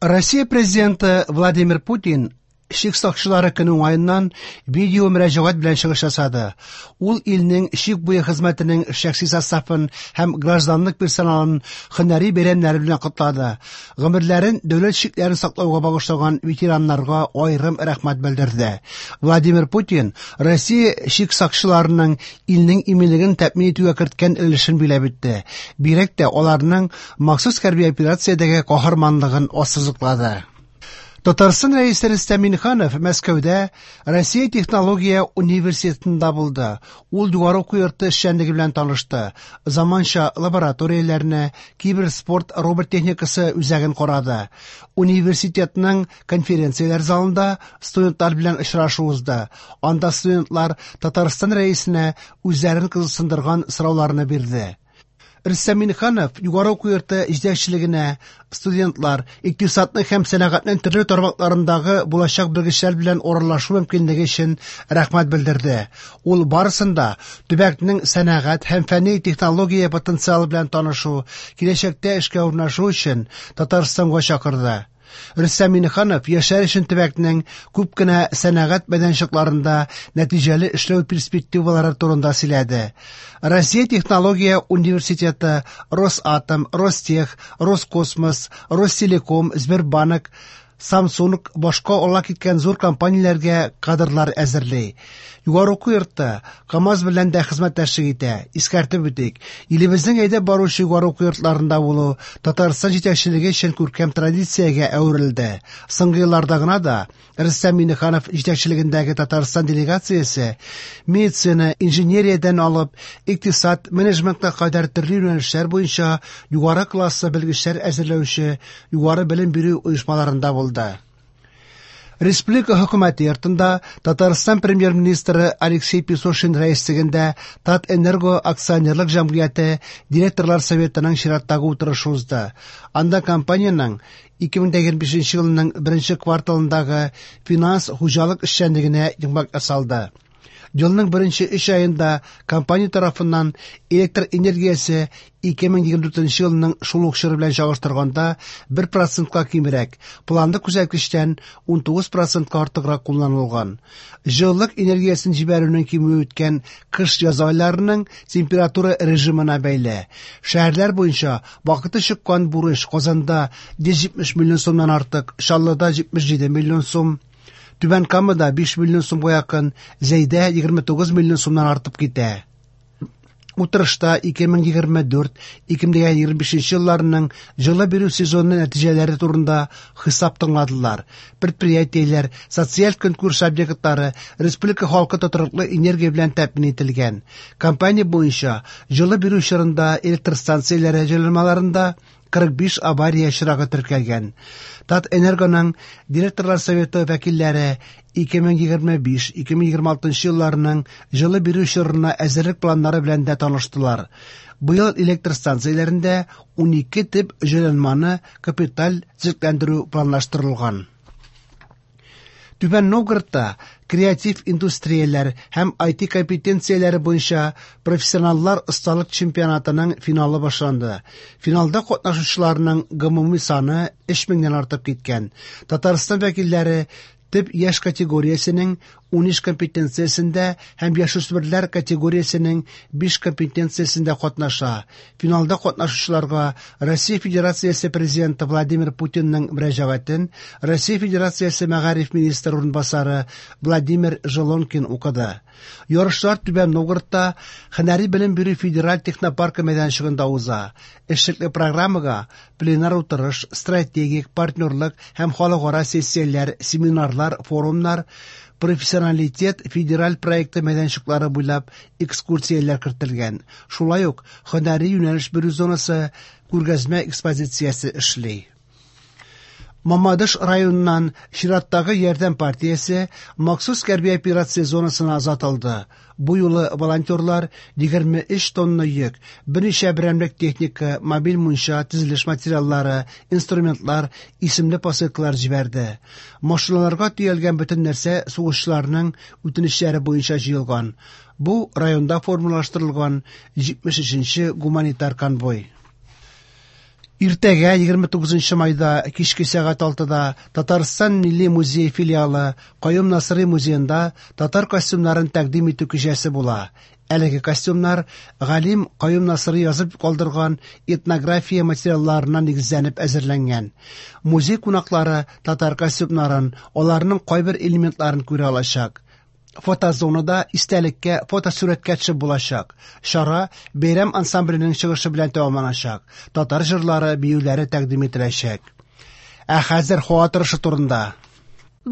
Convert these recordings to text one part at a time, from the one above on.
Россия Президенты Владимир Путин чик сакчылары көне уңаеннан видео мөрәҗәгать белән чыгыш ясады. Ул илнең чик буе хезмәтенең шәхси составын һәм гражданлык персоналын һөнәри бәйрәмнәре белән котлады. Гомерләрен дәүләт чикләрен саклауга багышлаган ветераннарга аерым рәхмәт белдерде. Владимир Путин Россия чик сакчыларының илнең иминлеген тәэмин итүгә керткән өлешен биләп үтте. Бигрәк тә аларның махсус хәрби операциядәге каһарманлыгын ассызыклады. Татарстан Рәисе Рөстәм Миңнеханов Мәскәүдә Россия технология университетында булды. Ул югары уку йорты эшчәнлеге белән танышты. Заманча лабораторияләрне, киберспорт робот техникасы үзәген карады. Университетның конференцияләр залында студентлар белән очрашу узды. Анда студентлар Татарстан Рәисенә үзләрен кызыксындырган сорауларны бирде. Рөстәм Миңнеханов югары уку йорты җитәкчелегенә студентлар, икътисадның һәм сәнәгатьнең төрле тармакларындагы булачак белгечләр белән аралашу мөмкинлеге өчен рәхмәт белдерде. Ул барысын да төбәкнең сәнәгать һәм фәнни технология потенциалы белән танышу, киләчәктә эшкә урнашу өчен Татарстанга чакырды. Рөстәм Миңнеханов яшьләр өчен төбәкнең күп кенә сәнәгать мәйданчыкларында нәтиҗәле эшләү перспективалары турында сөйләде. Россия технология университеты, Росатом, Ростех, Роскосмос, Ростелеком, Сбербанк, Samsung башка ала киткән зур компанияләргә кадрлар әзерли. Югары уку йорты КАМАЗ белән дә хезмәттәшлек итә. Искәртеп үтик, илебезнең әйдәп баручы югары уку йортларында булу Татарстан җитәкчелеге өчен күркәм традициягә әверелде. Соңгы елларда гына да Рөстәм Миңнеханов җитәкчелегендәге Татарстан делегациясе медицина, инженериядән алып, икътисад, менеджментка кадәр төрле юнәлешләр буенча югары класслы белгечләр әзерләүче югары белем бирү оешмаларында булды. Республика хөкүмәте йортында Татарстан премьер-министры Алексей Песошин рәислегендә Татэнерго акционерлык җәмгыяте директорлар советының чираттагы утырышы узды. Анда компаниянең 2025 елның беренче кварталындагы финанс хуҗалык эшчәнлегенә йомгак ясалды. Елның беренче өч аенда компания тарафыннан электр энергиясе 2024 елның шул ук чоры белән чагыштырганда 1%ка кимрәк, планлы күрсәткечтән 19%ка артыграк кулланылган. Җылылык энергиясен җибәрүнең кимүе үткән кыш-яз айларының температура режимына бәйле. Шәһәрләр буенча вакыты чыккан бурыч Казанда 170 миллион сумнан артык, Чаллыда 77 миллион сум, Түбән Камада 5 миллион сумга якын, Зәйдә 29 миллион сумнан артып китә. Утырышта 2024-2025 елларның җылы бирү сезоны нәтиҗәләре турында хисап тыңладылар. Предприятиеләр, социаль көнкүреш объектлары, республика халкы тотрыклы энергия белән тәэмин ителгән. Компания буенча җылы бирү чорында электр станцияләре җайланмаларында 45 авария очрагы теркәлгән. Татэнергоның директорлар советы вәкилләре 2025-2026 елларның җылы бирү чорына әзерлек планнары белән дә таныштылар. Быел электр станцияләрендә 12 төп җайланманы капиталь төзекләндерү планлаштырылган. Түбән Новгородта креатив индустрияләр һәм IT компетенцияләре буенча профессионаллар осталык чемпионатының финалы башланды. Финалда катнашучыларның гомуми саны 3000-нән артып киткән. Татарстан вәкилләре төп яшь категориясенең 13 компетенциясендә һәм яшүсмерләр категориясенең 5 компетенциясендә катнаша. Финалда катнашучыларга Россия Федерациясе Президенты Владимир Путинның мөрәҗәгатен Россия Федерациясе мәгариф министры урынбасары Владимир Желонкин укыды. Ярышлар Түбән Новгородта Һөнәри белем бирү федераль технопаркы мәйданчыгында уза. Эшлекле программага пленар утырыш, стратегик, партнерлык һәм халыкара сессияләр, семинарлар, форумнар, профессионалитет федераль проекты мәйданчыклары буйлап экскурсияләр кертелгән. Шулай ук һөнәри юнәлеш бирү зонасы күргәзмә экспозициясе эшли. Мамадыш районыннан чираттагы ярдәм партиясе махсус хәрби операция зонасына озатылды. Бу юлы волонтерлар 23 тонна йөк, берничә берәмлек техника, мобиль мунча, төзелеш материаллары, инструментлар, исемле посылкалар җибәрде. Машиналарга төялгән бөтен нәрсә сугышчыларның үтенечләре буенча җыелган. Бу районда формалаштырылган 73-нче гуманитар конвой. Иртәгә, 29 майда, кичке сәгать 6-да Татарстан Милли музее филиалы Каюм Насыйри музеенда татар костюмнарын тәкъдим итү кичәсе була. Әлеге костюмнар галим Каюм Насыйри язып калдырган этнография материалларына нигезләнеп әзерләнгән. Музей кунаклары татар костюмнарын, аларның кайбер элементларын күрә алачак. Фотозонада истәлеккә фотосурәткә төшеп булачак. Чара бәйрәм ансамбленең чыгышы белән тәмамланачак. Татар җырлары, биюләре тәкъдим ителәчәк. Ә хәзер һава торышы турында.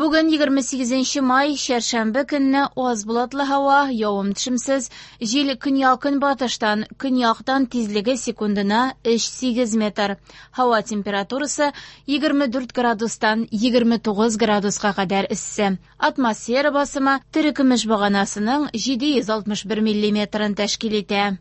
Бүген 28 май, чәршәмбе көнне аз болытлы һава, явым-төшемсез, җил көньяк-көнбатыштан, көньяктан тизлеге секундына 3-8 метр. Һава температурасы 24 градустан 29 градуска кадәр эссе. Атмосфера басымы терекөмеш баганасының 761 миллиметрын тәшкил итә.